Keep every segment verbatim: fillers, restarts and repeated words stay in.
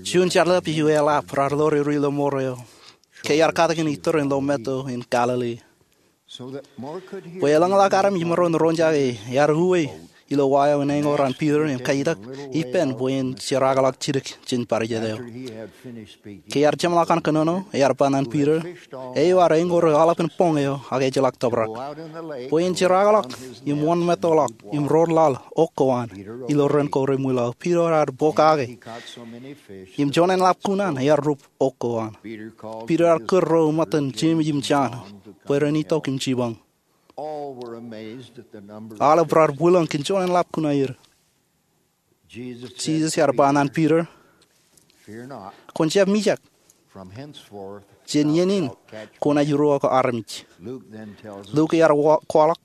Juon jeḷā eo eḷap raar ḷoor e ri lọmọọr eo ke iar katakin iturūṃ in lọmeto in Galili. Bwe eḷaññe ḷak armej maroñ roñjake, ear uwe ilo wa eo in eñoul an Piter im kajjitōk ippān bwe en jerkakḷọk jidik jān bar jet eo. Ke ear jeṃḷọk an kōnono, ear ba ñan Piter, eo ear eñoul ri aolepān boñ eo ak ejjeḷọk tōprak, bwe en jerkakḷọk im wōnmettoḷọk im roor laḷ wōt ko an. Ilo ren ko reṃwilaḷ, Piter ear pokake im joñan ḷap kuṇaan ear rup wōt ko an. Piter ear kūr ro ṃōttan Jemes im Jon bwe ren itok im jibañ. Aolep raar bwilōñ kōn joñan ḷap kuṇaan er. Jisōs ear ba ñan Piter, kwōn jab mijak. Jān iien in kwōnaaj ruo ko armej. Luk ear kwaḷọk,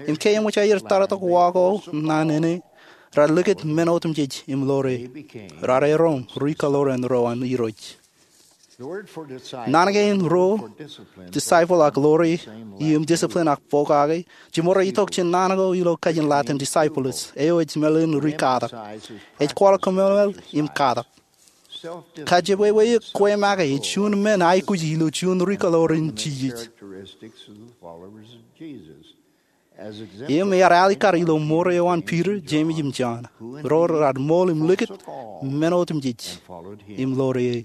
im ke eṃōj aer tōrtok wa ko naan ṇe, raar likūt men otemjej im ḷoor e. Raar erom ri kōḷoran ro an Irooj. Naan kein ruo, disciple ak ḷoor e, im discipline ak pokake, jiṃor itok jān naan ko ilo kajin Latin discipulis, eo ej meḷeḷein ri katak. Ej kwaḷọk kōmeḷeḷe im katak. Kajepweiweik kwe make ej juon men aikuj ilo juon ri kōḷoran Jisōs. Im ear alikkar ilo mour eo an Piter, Jemes im Jon, ro raar ṃool im likūt men otemjej im ḷoor e.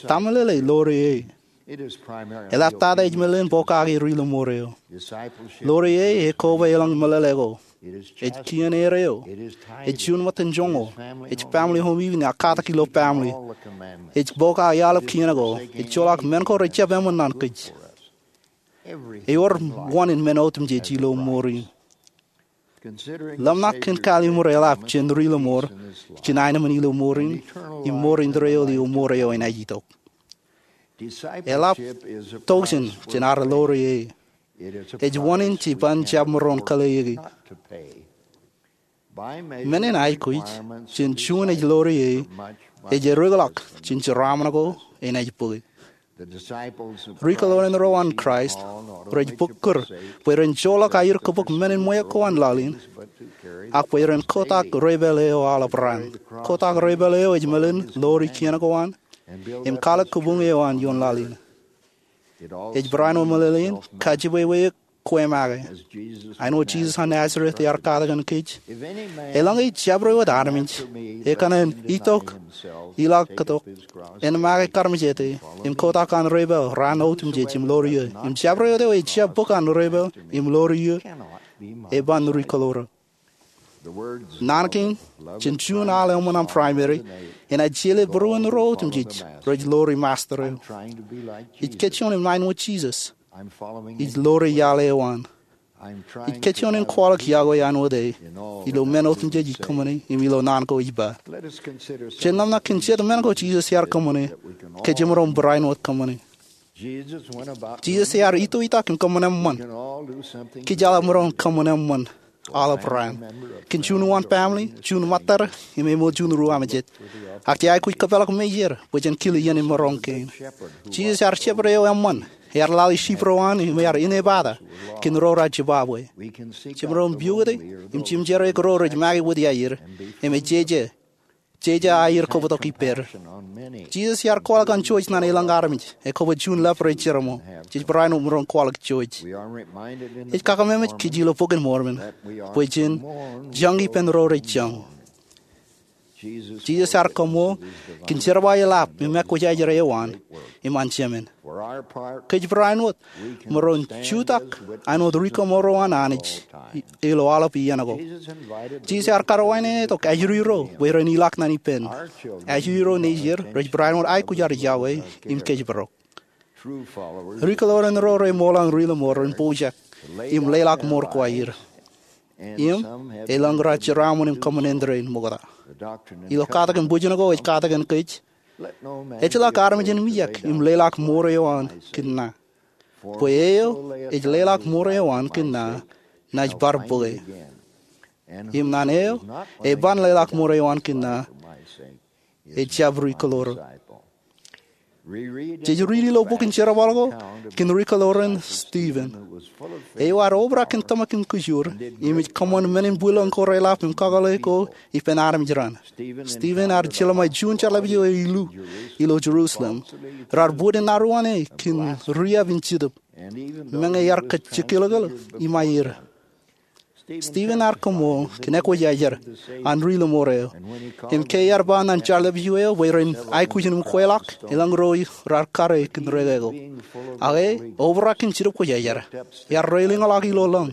Ta meḷeḷe ḷoor e? Eḷaptata ej meḷeḷein pokake ri lọmọọr eo. Ḷoor e ekoba eḷaññe meḷeḷe ko. Ej kien er eo. Ej juon ṃōttan joñoul. Ej family home evening ak katak ilo family. Ej pokake aolep kien ko. Ej joḷọk men ko rej jab eṃṃan ñan kōj. Ewōr wōn in men otemjej ilo mour in. Ḷōmṇak kōn kalliṃur eḷap jān ri lọmọọr, jān aenōṃṃan ilo mour in, im mour indeeo ilo mour eo enaaj itok. Eḷap tokjān jān ad ḷoor e. Ej wōn in jeban jab maroñ kōḷeeiki. Men in aikuj, jān juon ej ḷoor e, ej ereokḷọk jān jeraaṃṃan ko enaaj bōke. Ri kōḷoran ro an Kraist rej bōk kūr bwe ren joḷọk aer kōbōk men in ṃweo ko an laḷ in, ak bwe ren kotak repair eo aolep raan. Kotak repair eo ej meḷeḷein ḷoor e kien ko an im kwaḷọk kōbuñ eo an ioon laḷ in. Ej barāinwōt meḷeḷein kajepweiweik kwe make. Āinwōt Jisōs an Nazareth ear katakin kōj, eḷaññe ej jabdewōt armej ekōṇaan itok, ilọk kōtok, en make karmejete, im kotak an repair raan otemjej im ḷoor e, im jabdewōt eo ejjab bōk an repair im ḷoor e, eban ri kōḷoran. Naan kein, jān juon al eṃṃan aṃ primary, enaaj jeḷā būruon ro otemjej rej ḷoor e master eo. Ij kōjjeḷọk im āinwōt Jisōs. Ij ḷoor e iaḷ eo an. Ij kōjjeḷọk im kwaḷọk yokwe āinwōt e ilo men otemjej ij kōṃṃane im ilo naan ko ij ba. Jen ḷōmṇak kōn jet men ko Jisōs ear kōṃṃane ke jemaroñ barāinwōt kōṃṃane. Jisōs ear itoitak im kōṃṃan eṃṃan. Kōj aolep maroñ kōṃṃan eṃṃan aolep raan. Kōn juon uwaan family, juon ṃōttad, im eṃōj juon ru-amejet. Ak jej aikuj kōpeḷḷọk meier bwe jen kile iien in maroñ kein. Jisōs ear shepherd eo eṃṃan. Ear lale sheep ro an im ear inepata kōn ro raar jibabwe. Jemaroñ piukute im jimjerrā kōn ro rej make wōt iaer im ejeje, jeje aer kōbōtok ippād. Jisōs ear kwaḷọk an jouj ñan elōñ armej, ekwe bwe juon leper ej jerọm. Jej barāinwōt maroñ kwaḷọk jouj. Ej kakememej kōj ilo Bok in Mormon bwe jen joñan ippān ro rej joñ. Jisōs ear kaṃṃool kōn jerbal eḷap im ekwōjarjar eo an im an Jemān. Kōj barāinwōt maroñ jutak āinwōt ri kaṃṃool ro an Anij ilo aolep iien ko. Jisōs ear karuwainene tok ajri ro bwe ren ilọk ñan ippān. Ajri ro nejier rej barāinwōt aikuj ad yokwe im kōjparok. Ri kōḷoran ro reṃool an ri lọmọọr ren pojak im leḷọk mour ko aer. Im elōñ raar jeraaṃṃan im kōṃṃan endein ṃokta. Ilo katakin bwijin ko ej katakin kōj, ejjeḷọk armej en mijak im leḷọk mour eo an kōn ña. Bwe eo ej leḷọk mour eo an kōn ña, naaj bar bōke. Im ñan eo eban leḷọk mour eo an kōn ña, ejjab ri kōḷoran. Jej riiti ilo bok in Jerbal ko kōn ri-kōḷoran Stephen. Eo ear obrak kōn tōmak im kōjur im ej kōṃṃan men in bwilōñ ko reḷap im kakōḷḷe ko ippān armej raṇ. Stephen ear jeḷā ṃae juon jeḷāḷọkjeḷā eo ilu ilo Jerusalem. Raar bōd in naruwaan e kōn riab in jetōb. Meñe ear kajjekōḷkōḷ iṃaer. Stephen ear koṃṃool kōn ekwōjarjar an ri-lọmọọr eo. Im ke ear ba ñan jeḷāḷọkjeḷā eo bwe ren aikuj in kweḷọk, eḷaññe ro raar kar e kōn rekeko. Ak e obrak kōn Jetōb Kwōjarjar, ear reiḷọñḷọk ilo lañ.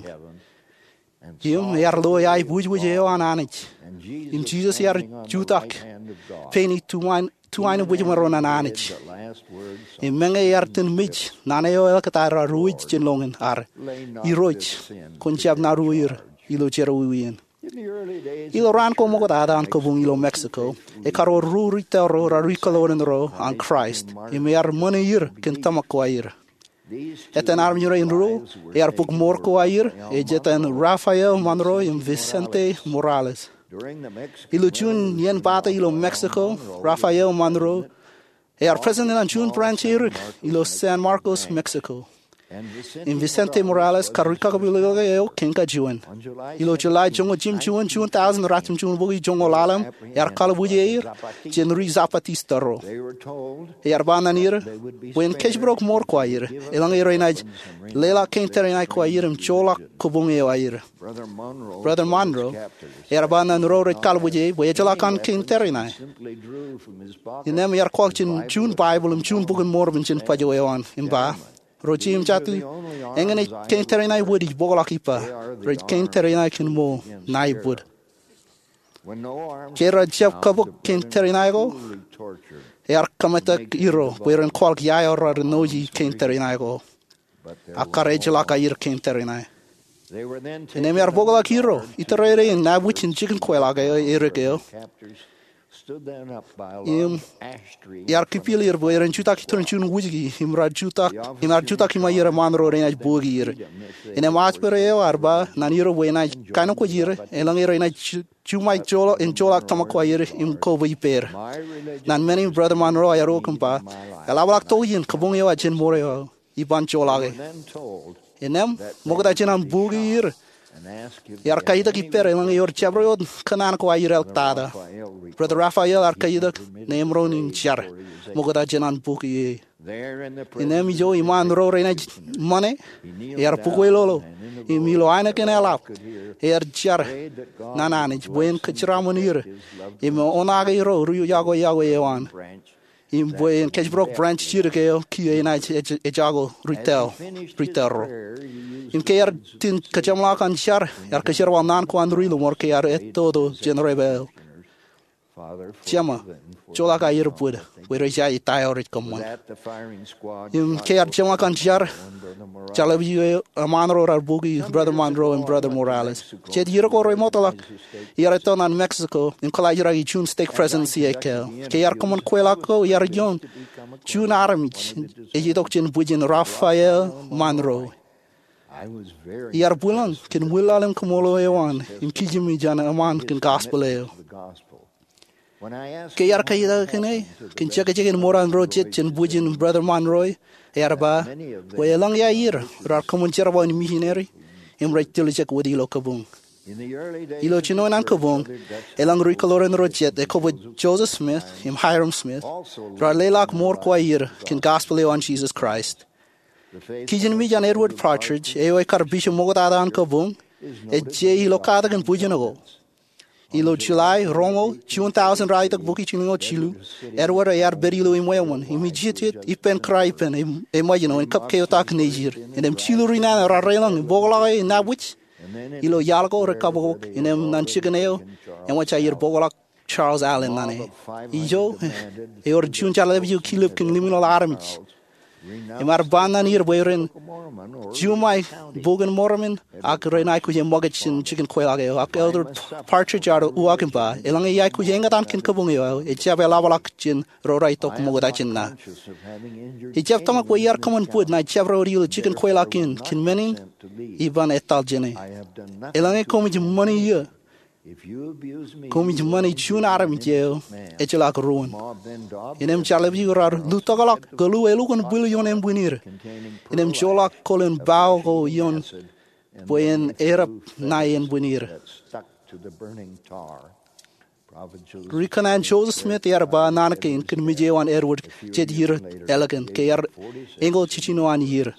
Im ear lo aiboojoj eo an Anij. Im Jisōs ear jutak pein ituwain, tuwain in bwijmaroñ an Anij. Im meñe ear itōn mej, naan eo eḷak ta raar uwij jān lọñin ear, Irooj, kwōn jab naruo er ilo jerọwiwi in. Ilo raan ko ṃoktata an kabuñ ilo Mexico, ekar wōr ruo ri-tōl ro raar ri-kōḷoran ro an Kraist, im ear ṃōṇe er kōn tōmak ko aer. Etan armej rein ruo ear bōk mour ko aer ej etan Rafael Monroy im Vicente Morales. Ilo juon iien pata ilo Mexico, Rafael Monroy ear president an juon branch erik ilo San Marcos, Mexico. Im Vicente Morales kar rikakpeḷḷọk eo kōn kajuon. Ilo July joñoul jimjuon, juon thousand ratimjuonbukwi joñoul ḷalem, ear kalbuje er jān ri-Zapatista ro. Ear ba ñan er bwe en kōjparok mour ko aer eḷaññe renaaj leḷọk kein tōre in aer ko aer im joḷọk kabuñ eo aer. Brother Monroy ear ba ñan ro rej kalbuje bwe ejjeḷọk an kein tōre in aer. Innām ear kwaḷọk jān juon Baibōḷ im juon Bok in Mormon jān bajjek eo an im ba, Ro jeiū im jatū, eñin ej kein tōre in aer wōt ij bōkḷọk ippa. Rej kein tōre in aer kōn ṃool ṇae ibwid. Ke raar jab kabōk kein tōre in aer ko, ear kōmetak irooj bwe ren kwaḷọk ia eo raar ṇooji kein tōre in aer ko. Ak kar ejjeḷọk aer kein tōre in aer. Innām ear bōkḷọk irooj itōrere in ṇae bwijin jikin kweilọk eo erik eo. Im ear kipier bwe ren jutak itōn juon wūjki im raar jutak, im ear jutak iṃaer Monroy renaaj bōki er. Innām aspōr eo ear ba ñan irooj bwe enaaj kaenōkwōj er eḷaññe renaaj ju-, juṃae joḷọk, en joḷọk tōmak ko aer im kobwe ippāer. Ñan men in Brother Monroy ear uk im ba, eḷapḷọk tokjān kabuñ eo aō jān mour eo aō. Iban joḷọk e. Innām, ṃokta jān an bōki er, ear kajitak ippāer eḷaññe ewōr jabdewōt kōnnaan ko aer eḷaptata. Brother Rafael ear kajitak ṇe emaroñ in jar ṃokta jān an bōki e. Innām ijo iṃaan ro renaaj ṃane, ear bōkwōlolo, im ilo ainikien eḷap, ear jar ñan Anij bwe en kōjeraṃōn er im oṇaake ro ri-yokwe yokwe eo an. Im bwe en kōjparok branch jidik eo kiiō enaaj ej-, ejako ri-tōl, ri-tōl ro. Im ke ear itōn kōjeṃḷọk an jar, ear kōjerbal naan ko an ri-lọmọọr ke ear ettoto jān repair. Jeṃa, joḷọk aer bwid, bwe rej aikuj ta eo rej kōṃṃan. Im ke ear jeṃḷọk an jar, jeḷā bwe Monroy raar bōki Brother Monroy im Brother Morales. Jet ier ko remootḷọk, iar etto ñan Mexico im kōḷaajraki juon stake presidency ekkā. Ke iar kōṃṃan kweilọk ko iar iioon juon armej ej itok jān bwijin Rafael Monroy. Iar bwilōñ kōn ṃwilaḷ im kaṃṃoolol eo an im kijimi jān eṃṃaan kōn gospel eo. Ke iar kajitak kōn e kōn jekjekin ṃōran ro jet jān bwijin Brother Monroy, ear ba bwe eḷaññe aer raar kōṃṃan jerbal in misineri im rej tiljek wōt ilo kabuñ. Ilo jinoin an kabuñ, eḷaññe ri-kōḷoran ro jet ekōbwe Joseph Smith im Hyrum Smith raar leḷọk mour ko aer kōn gospel eo an Jesus Christ. Kijin mej an Edward Partridge eo ekar bishop ṃoktata an kabuñ ej je ilo katakin bwijin ko. Ilo July roñoul, juon thousand raar itok bukwi jilñoul jilu, Edward ear pād ilo iṃweo ṃōn im ej ippān kōrā ippān e, e ṃōjṇo en kab keotak nejid. Innām jilu ri nana raar reiḷọñ im bōkḷọk e ṇae bwij. Ilo iaḷ ko rej kabokbok innām ñan jikin eo eṃōj aer bōkḷọk Charles Allen ñan e. Ijo ewōr juon jeḷā bwe eo kilep kōn limñoul armej. Im ear ba ñan er bwe ren juṃae Bok in Mormon ak ren aikuj e ṃōkaj jān jikin kweilọk eo, ak Elder Partridge ear uwaak im ba eḷaññe iaikuj eñtaan kōn kabuñ eo aō, ejjab eḷapḷọk jān ro raar itok ṃokta jān ṇa. Ejjab tōmak bwe iar kōṃṃan bwid ṇae jabdewōt ilo jikin kweilọk in kōn men in iban etal jān e. Eḷaññe koṃij ṃani iiō Koṃij ṃani juon armej eo ejjeḷọk ruōn. Innām jeḷā ḷọk raar lutōkḷọk kōḷu elukkuun bwil ioon embwiin er. Innām joḷọk kōḷ in bao ko ioon bwe en erōp ṇae embwiin er. Ri kōṇaan Joseph Smith ear ba naan kein kōn mej eo an Edward jej ier ālikin ke ear eñoul jiljino an ier.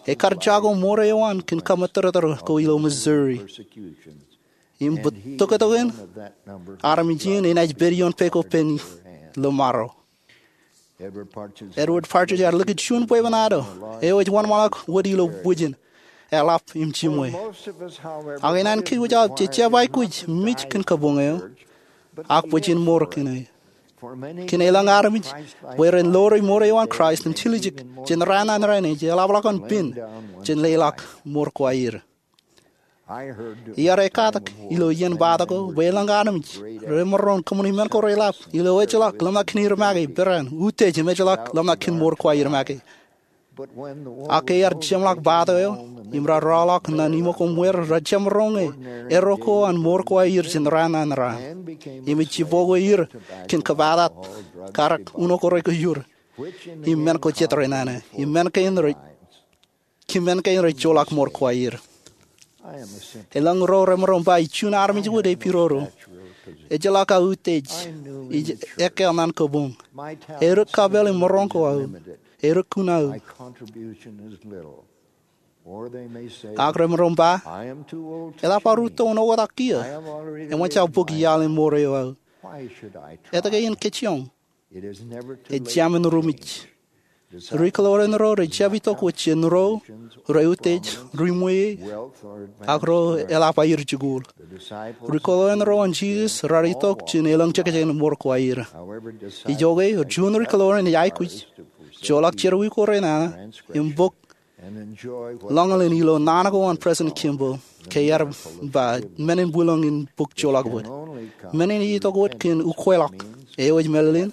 Ekar jako ṃoor eo an kōn kaṃōttōrtōr ko ilo Missouri. Im bōtōktōkin armej in enaaj pād ioon peko pen ḷōṃaro. Edward Partridge ear likūt juon bwebwenato eo ej wōnṃaanḷọk wōt ilo bwijin, eḷap im jiṃwe. Ak ikōṇaan kōj wōj aō jejjab aikuj mej kōn kabuñ eo, ak bwijin ṃoor kōn e. Kōn elōñ armej, bwe ren ḷoore ṃoor eo an Kraist im tiljek jān raan ṇe an raan ej, eḷapḷọk an pen jān leḷọk ṃoor ko aer. Iar ekkatak ilo iien bata ko bwe elōñ armej remaroñ kōṃṃani men ko reḷap ilo ejjeḷọk ḷōmṇak kōn er make, peran, utiej im ejjeḷọk ḷōmṇak kōn ṃoor ko aer make. Ak ke ear jeṃḷọk bata eo im raar rọọḷọk ñan iṃōkōṃwōr, rej jab roñe erro ko an ṃoor ko aer jān raan ṇe an raan. Im ej jibokwe er kōn kōbatat, karōk, uno ko rekiur, im men ko jet renana, im men kein rej joḷọk ṃoor ko aer. Elōñ ro remaroñ ba ij juon armej wōt epiroro. Ejjeḷọk aō utiej. Ij ekkā ñan kabuñ. Erik kapeel im maroñ ko aō. Erik kun aō. Ak remaroñ ba, eḷap aō rūtto in oktak kiiō. Eṃōj aō bōk iaḷ in ṃoor eo aō. Etke in kōjjioñ? Ejāmin ri-mej. Ri-kōḷoran ro rej jab itok wōt jān ro reutiej, ri-ṃweiie, ak ro eḷap aer jikuuḷ. Ri-kōḷoran ro an Jisōs raar itok jān elōñ jekjek in ṃoor ko aer. Ijoke, juon ri-kōḷoran ej aikuj, joḷọk jerọwiwi ko renana, im bōk ḷōñḷōñ ilo naan ko an President Kimball, ke ear ba, men in bwilōñ in bōk joḷọk wōt. Men in ej itok wōt kōn ukweḷọk, eo ej mālōtlōt,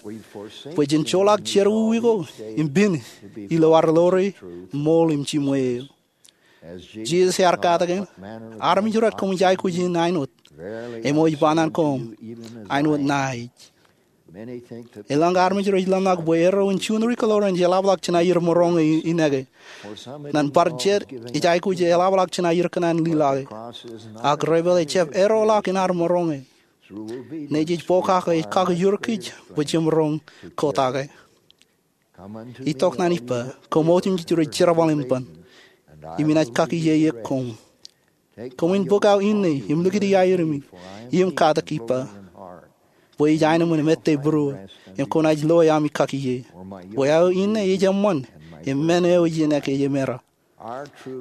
bwe jen joḷọk jerọwiwi ko, im pen, ilo ad ḷoore, ṃool im jiṃwe eo. Jisōs ear katakin, armej ro aō koṃij aikuj in āinwōt, eṃōj ba ñan koṃ, āinwōt ṇae ej. Elōñ armej rej ḷōmṇak bwe erro in juon ri-kōḷoran ej eḷapḷọk jān aer maroñ e ineke. Ñan bar jet ej aikuj eḷapḷọk jān aer kōṇaan lilọke. Ak rej pād ejjab erro ḷọk in ad maroñ e. Ṇe jej pokake ej kakiiō kōj bwe jemaroñ kōtake. Itok ñan ippa, koṃ otemjej rej jerbal im ban, im inaaj kakiiō koṃ. Koṃwin bōk aō inne im likūti aer im, im katak ippa. Bwe ij aenōṃṃan im ettā būruō, im kwōnaaj loe ami kakiiō. Bwe aō inne ej eṃṃan, im men eo ij ineke ej emera.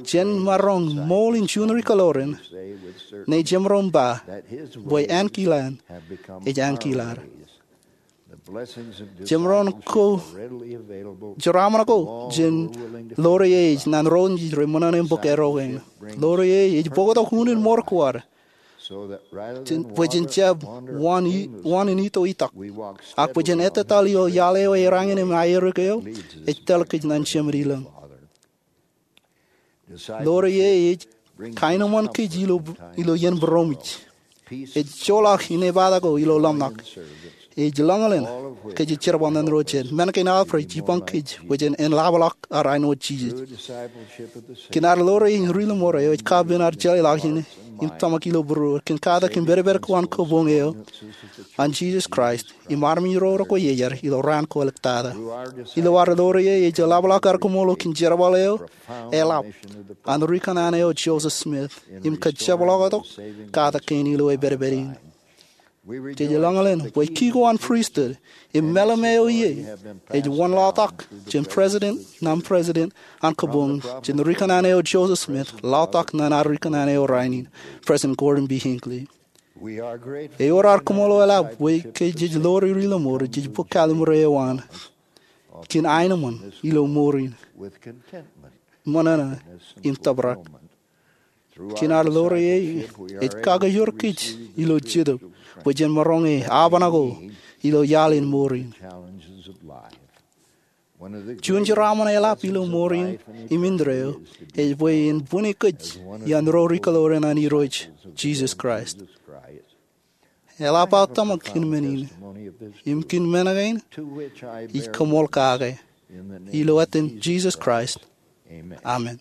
Jen maroñ ṃool in juon ri-kōḷoran, ṇe jemaroñ ba, bwe ankilaan ej ankilad. Jemaroñ ko jeraaṃṃan ko jān ḷoore e ej ñan ro nejin rej ṃōṇōṇō im bōk erro kein. Ḷoore e ej bōktok unin ṃoor ko ad. Bwe jen jab wōn in ito itak. Ak bwe jen ettōtaḷ ilo iaḷ eo ej rainin im aerōk eo ej tōl kōj ñan Jemān ilōñ. Ḷoore e ej kaenōṃṃan kōj ilo iien būroṃōj. Ej joḷọk inepata ko ilo ḷōmṇak. Ej ḷōñḷōñ kōj jej jerbal ñan ro jet. Men kein aolep rej jipañ kōj bwe jen eḷapḷọk ad āinwōt Jisōs. Kōn ad ḷoore in ri-lọmọọr eo ej kapen ad jeḷāḷọkjeṇ im tōmak ilo būruod kōn katak im pedped ko an kabuñ eo an Jisōs Kraist im armej ro rekwe iar ilo raan ko āliktata. Ilo ad ḷoore e ej eḷapḷọk ad kōṃṃan kōn jerbal eo eḷap an ri kōṇaan eo Joseph Smith im kajjepḷọk tok katak kein ilo epedped in. Jej ḷōñḷōñ bwe ki ko an pristut im meḷeḷe eo ie ej wōn ḷọktok jān president ṇe president an kabuñ jān ri kōṇaan eo Joseph Smith ḷọktok ñan ad ri kōṇaan eo rainin, President Gordon B. Hinckley. Ewōr ad kōṃṃan eḷap bwe ke jej ḷoore ri-lọmọọr jej bōk kalimur eo an kōn aenōṃṃan ilo mour in ṃōṇōṇō im tōprak. Kōn ad ḷoore e ej kakiiō kōj ilo jetōb bwe jen maroñ e apañ ko ilo iaḷ in mour in. Juon jeraaṃṃan eḷap ilo mour in im indeeo ej bwe en bwini kōj iaan ro ri kōḷoor eṇ an Irooj Jisōs Kraist. Eḷap aō tōmak in men in im kōn men kein ij koṃṃool kake ilo etan Jisōs Kraist, amen.